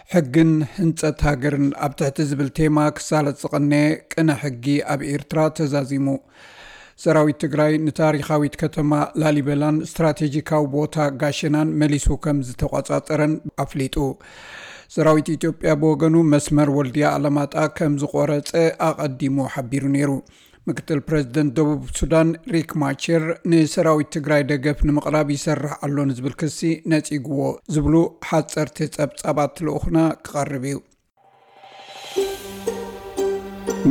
ሕግን ህንጸት ሃገርን ኣብ ትሕቲ ዝብል ቴማ ክሳለጥ ዝቐነየ ቅነ ሕጊ ኣብ ኤርትራ ተዛዚሙ። ሰራዊት ትግራይ ንታሪኻዊት ከተማ ላሊበላን ስትራቴጂካዊ ቦታ ጋሸናን መሊሱ ከም ዝተቆጻጸረን ኣፍሊጡ። ሰራዊት ኢትዮጵያ ብወገኑ መስመር ወልድያ ኣለማጣ ከም ዝቆረጸ ኣቐዲሙ ሓቢሩ ነይሩ። ምክትል ፕረዚደንት ደቡብ ሱዳን ሪክ ማቸር ንሰራዊት ትግራይ ደገፍ ንምቕራብ ይሰርሕ ኣሎ ንዝብል ክሲ ነጺግዎ ዝብሉ ሓጸርቲ ጸብጻባት ልኡኽና ክቐርብ እዩ።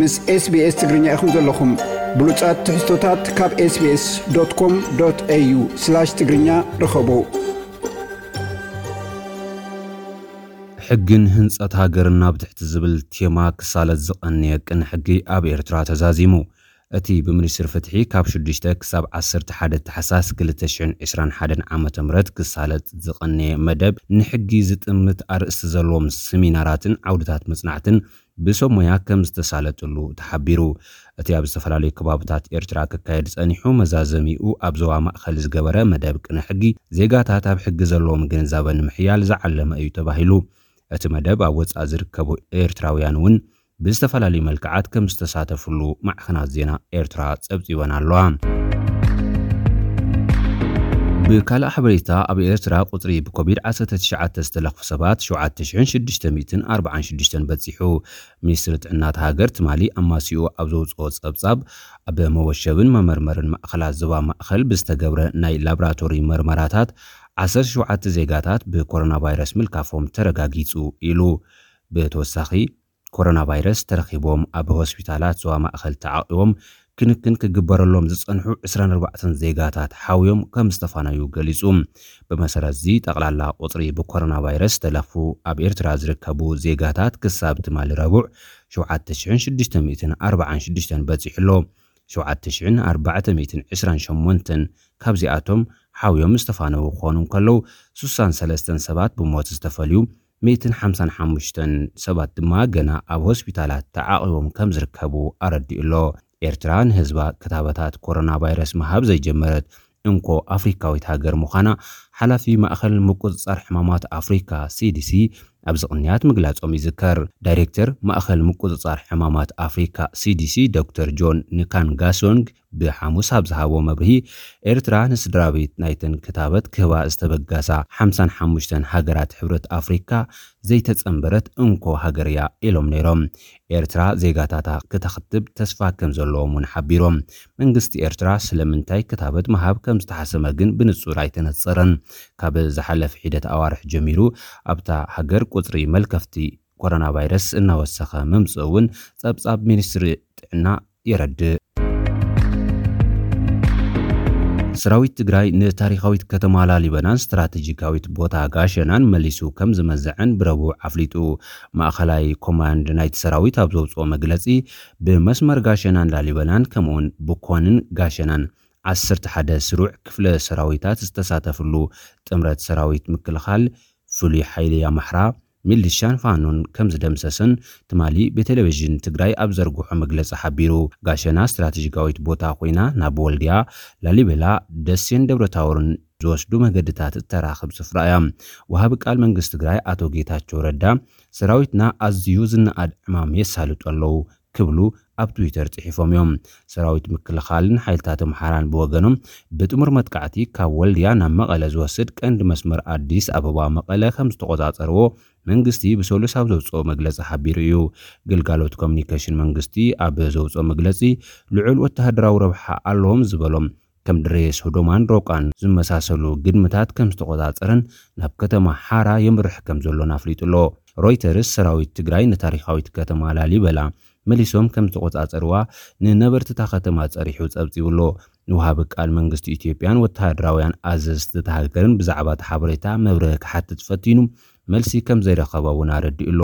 ምስ SBS ትግርኛ ኢኹም ዘለኹም። ብሉጻት ትሕዝቶታት ካብ ኤስቢኤስ ዶት ኮም ዶት ኤዩ ስላሽ ትግርኛ ርኸቡ። ሕግን ህንጸት ሃገርን ኣብ ትሕቲ ዝብል ቴማ ክሳለጥ ዝቐነየ ቅነ ሕጊ ኣብ ኤርትራ ተዛዚሙ። እቲ ብሚኒስትሪ ፍትሒ ካብ ሽዱሽተ ክሳብ ዓሰርተ ሓደ ታሕሳስ ክልተ ሽሕን ዕስራን ሓደን ዓመተ ምህረት ክሳለጥ ዝቐነየ መደብ፣ ንሕጊ ዝጥምት ኣርእስቲ ዘለዎም ሰሚናራትን ዓውድታት መጽናዕትን ብሰብ ሞያ ከም ዝተሳለጥሉ ተሓቢሩ። እቲ ኣብ ዝተፈላለዩ ከባብታት ኤርትራ ክካየድ ጸኒሑ መዛዘሚኡ ኣብ ዞባ ማእከል ዝገበረ መደብ ቅነ ሕጊ፣ ዜጋታት ኣብ ሕጊ ዘለዎም ግንዛበ ንምሕያል ዝዓለመ እዩ ተባሂሉ። እቲ መደብ ኣብ ወጻኢ ዝርከቡ ኤርትራውያን እውን ብዝተፈላለዩ መልክዓት ከም ዝተሳተፍሉ ማዕኸናት ዜና ኤርትራ ጸብጺበን ኣለዋ። ብካልእ ሓበሬታ፣ ኣብ ኤርትራ ቁጽሪ ብኮቪድ ዓሰርተ ትሽዓተ ዝተለኽፉ ሰባት ሸውዓተ ሽሕን ሽዱሽተ ሚእትን ኣርባዓን ሽዱሽተን በጺሑ። ሚኒስትሪ ጥዕና እታ ሃገር ትማሊ ኣማሲኡ ኣብ ዘውጽኦ ጸብጻብ፣ ኣብ መወሸብን መመርመርን ማእከላት ዞባ ማእከል ብዝተገብረ ናይ ላብራቶሪ መርመራታት ዓሰርተ ሸውዓተ ዜጋታት ብኮሮና ቫይረስ ምልካፎም ተረጋጊጹ ኢሉ። ብተወሳኺ፣ ኮሮና ቫይረስ ተረኺቦም ኣብ ሆስፒታላት ዞባ ማእከል ተዓቒቦም ክንክን ክግበረሎም ዝጸንሑ ዕስራን ኣርባዕተን ዜጋታት ሓውዮም ከም ዝተፋነዩ ገሊጹ። ብመሰረት እዚ፣ ጠቕላላ ቁጽሪ ብኮሮና ቫይረስ ዝተለኽፉ ኣብ ኤርትራ ዝርከቡ ዜጋታት ክሳብ ትማሊ ረቡዕ ሸውዓተ ሽሕን ሽዱሽተ ሚእትን ኣርባዓን ሽዱሽተን በጺሑ ኣሎ። ሸውዓተ ሽሕን ኣርባዕተ ሚእትን ዕስራን ሸሞንተን ካብዚኣቶም ሓውዮም ዝተፋነዉ ክኾኑ እንከለዉ፣ ስሳን ሰለስተን ሰባት ብሞት ዝተፈልዩ፣ ሚእትን ሓምሳን ሓሙሽተን ሰባት ድማ ገና ኣብ ሆስፒታላት ተዓቒቦም ከም ዝርከቡ ኣረዲኡ ኣሎ። ኤርትራ ንህዝባ ክታበታት ኮሮና ቫይረስ ምሃብ ዘይጀመረት እንኮ ኣፍሪካዊት ሃገር ምዃና ሓላፊ ማእኸል ምቁጽጻር ሕማማት ኣፍሪካ፣ ሲዲሲ፣ ኣብዚ ቅንያት ምግላጾም ይዝከር። ዳይሬክተር ማእኸል ምቁጽጻር ሕማማት ኣፍሪካ፣ ሲዲሲ፣ ዶክተር ጆን ንካንጋሶንግ ብሓሙስ ኣብ ዝሃቦ መብርሂ፣ ኤርትራ ንስድራ ቤት ናይተን ክታበት ክህባ ዝተበገሳ ሓምሳን ሓሙሽተን ሃገራት ሕብረት ኣፍሪካ ዘይተጸንበረት እንኮ ሃገር እያ ኢሎም ነይሮም። ኤርትራ ዜጋታታ ክተኽትብ ተስፋ ከም ዘለዎም እውን ሓቢሮም። መንግስቲ ኤርትራ ስለምንታይ ክታበት ምሃብ ከም ዝተሓሰመ ግን ብንጹር ኣይተነጸረን። ካብ ዝሓለፈ ሒደት ኣዋርሕ ጀሚሩ ኣብታ ሃገር ቁጽሪ መልከፍቲ ኮሮና ቫይረስ እናወሰኸ ምምጽኡ እውን ጸብጻብ ሚኒስትሪ ጥዕና የረድእ። ሰራዊት ትግራይ ንታሪኻዊት ከተማ ላሊበላን ስትራቴጂካዊት ቦታ ጋሸናን መሊሱ ከም ዝመዘዐን ብረቡዕ ኣፍሊጡ። ማእኸላይ ኮማንድ ናይቲ ሰራዊት ኣብ ዘውፅኦ መግለፂ፣ ብመስመር ጋሸናን ላሊበላን ከምኡውን ብኮንን ጋሸናን ዓሰርተ ሓደ ስሩዕ ክፍለ ሰራዊታት ዝተሳተፍሉ ጥምረት ሰራዊት ምክልኻል፣ ፍሉይ ሓይሊ ኣምሓራ፣ ሚሊሻን ፋኖን ከም ዝደምሰሰን ትማሊ ብቴሌቪዥን ትግራይ ኣብ ዘርግሖ መግለፂ ሓቢሩ። ጋሸና ስትራቴጂካዊት ቦታ ኮይና፣ ናብ ወልድያ፣ ላሊበላ፣ ደሴን ደብረታቦርን ዝወስዱ መገድታት እተራኽብ ስፍራ እያ። ወሃቢ ቃል መንግስቲ ትግራይ ኣቶ ጌታቸው ረዳ፣ ሰራዊትና ኣዝዩ ዝነኣድ ዕማም የሳልጡ ኣለዉ ክብሉ ኣብ ትዊተር ጽሒፎም እዮም። ሰራዊት ምክልኻልን ሓይልታት ኣምሓራን ብወገኖም፣ ብጥሙር መጥቃዕቲ ካብ ወልድያ ናብ መቐለ ዝወስድ ቀንዲ መስመር ኣዲስ ኣበባ መቐለ ከም ዝተቆጻጸርዎ መንግስቲ ብሰሉስ ኣብ ዘውጽኦ መግለጺ ሓቢሩ እዩ። ግልጋሎት ኮሚኒኬሽን መንግስቲ ኣብ ዘውጽኦ መግለጺ፣ ልዑል ወተሃደራዊ ረብሓ ኣለዎም ዝበሎም ከም ድሬ ሶዶማን ሮቃን ዝመሳሰሉ ግድምታት ከም ዝተቆጻጸረን ናብ ከተማ ሓራ የምርሕ ከም ዘሎን ኣፍሊጡ ኣሎ። ሮይተርስ ሰራዊት ትግራይ ንታሪኻዊት ከተማ ላሊበላ መሊሶም ከም ዝተቆጻጸርዋ ንነበርቲ እታ ከተማ ጸሪሑ ጸብጺቡ ኣሎ። ንወሃቢ ቃል መንግስቲ ኢትዮጵያን ወተሃደራውያን ኣዘዝቲ እታ ሃገርን ብዛዕባ እቲ ሓበሬታ መብርሂ ክሓትት ፈቲኑ፣ መልሲ ከም ዘይረኸበ እውን ኣረዲኡ ኣሎ።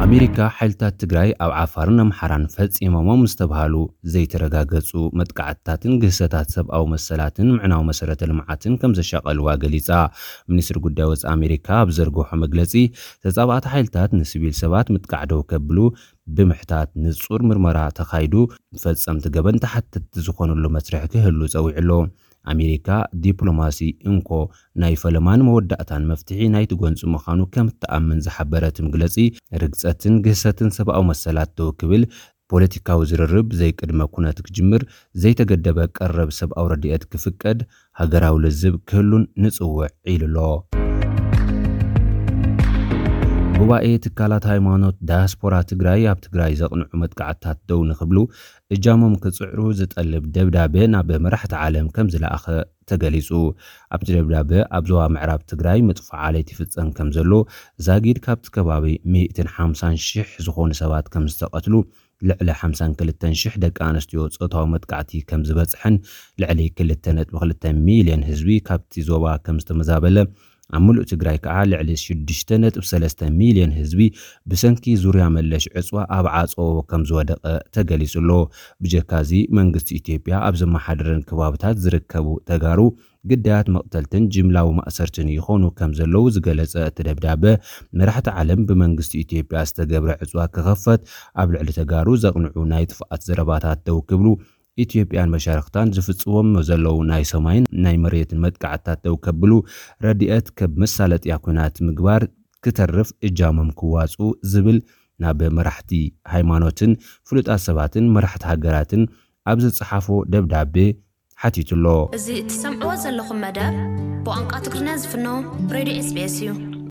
ኣሜሪካ፣ ሓይልታት ትግራይ ኣብ ዓፋርን ኣምሓራን ፈጺሞሞም ዝተብሃሉ ዘይተረጋገጹ መጥቃዕትታትን ግህሰታት ሰብኣዊ መሰላትን ምዕናው መሰረተ ልምዓትን ከም ዘሻቐልዋ ገሊጻ። ሚኒስትሪ ጉዳይ ወጻኢ ኣሜሪካ ኣብ ዘርግሖ መግለጺ፣ ተጻባእቲ ሓይልታት ንሲቪል ሰባት ምጥቃዕ ደው ከብሉ ብምሕታት ንጹር ምርመራ ተኻይዱ፣ ፈጸምቲ ገበን ተሓተትቲ ዝኾኑሉ መስርሕ ክህሉ ጸዊዑ ኣሎ። ኣሜሪካ ዲፕሎማሲ እንኮ ናይ ፈለማን መወዳእታን መፍትሒ ናይቲ ጎንፂ ምዃኑ ከም እትኣምን ዝሓበረ እቲ መግለፂ፣ ርግፀትን ግህሰትን ሰብኣዊ መሰላት ደው ክብል፣ ፖለቲካዊ ዝርርብ ዘይቅድመ ኩነት ክጅምር፣ ዘይተገደበ ቀረብ ሰብኣዊ ረድኤት ክፍቀድ፣ ሃገራዊ ልዝብ ክህሉን ንፅውዕ ኢሉ ኣሎ። ጉባኤ ትካላት ሃይማኖት ዳያስፖራ ትግራይ ኣብ ትግራይ ዘቕንዑ መጥቃዕትታት ደው ንክብሉ እጃሞም ክፅዕሩ ዝጠልብ ደብዳበ ናብ መራሕቲ ዓለም ከም ዝለኣኸ ተገሊፁ። ኣብቲ ደብዳበ ኣብ ዞባ ምዕራብ ትግራይ ምጥፋእ ዓሌት ይፍፀም ከም ዘሎ፣ ዛጊድ ካብቲ ከባቢ ሚእትን ሓምሳን ሽሕ ዝኾኑ ሰባት ከም ዝተቐትሉ፣ ልዕሊ ሓምሳን ክልተን ሽሕ ደቂ ኣንስትዮ ጾታዊ መጥቃዕቲ ከም ዝበፅሐን ልዕሊ ክልተ ነጥቢ ክልተ ሚልዮን ህዝቢ ካብቲ ዞባ ከም ዝተመዛበለ፣ ኣብ ምሉእ ትግራይ ከዓ ልዕሊ ሽዱሽተ ነጥቢ ሰለስተ ሚልዮን ህዝቢ ብሰንኪ ዙርያ መለሽ ዕፅዋ ኣብ ዓፀዎ ከም ዝወደቐ ተገሊፁ ኣሎ። ብጀካዚ መንግስቲ ኢትዮጵያ ኣብ ዘመሓደረን ከባብታት ዝርከቡ ተጋሩ ግዳያት መቕተልትን ጅምላዊ ማእሰርትን ይኾኑ ከም ዘለዉ ዝገለጸ እቲ ደብዳበ፣ መራሕቲ ዓለም ብመንግስቲ ኢትዮጵያ ዝተገብረ ዕፅዋ ክኸፈት፣ ኣብ ልዕሊ ተጋሩ ዘቕንዑ ናይ ጥፍኣት ዘረባታት ደው ክብሉ፣ ኢትዮጵያን መሻርኽታን ዝፍጽዎም ዘለዉ ናይ ሰማይን ናይ መሬትን መጥቃዕትታት ደው ከብሉ፣ ረድኤት ከም መሳለጥያ ኲናት ምግባር ክተርፍ እጃሞም ክዋፁ ዝብል ናብ መራሕቲ ሃይማኖትን ፍሉጣት ሰባትን መራሕቲ ሃገራትን ኣብ ዝጸሓፎ ደብዳቤ ሓቲቱ ኣሎ። እዚ እትሰምዕዎ ዘለኹም መደብ ብቋንቋ ትግርኛ ዝፍኖ ሬድዮ ኤስ ቢ ኤስ እዩ።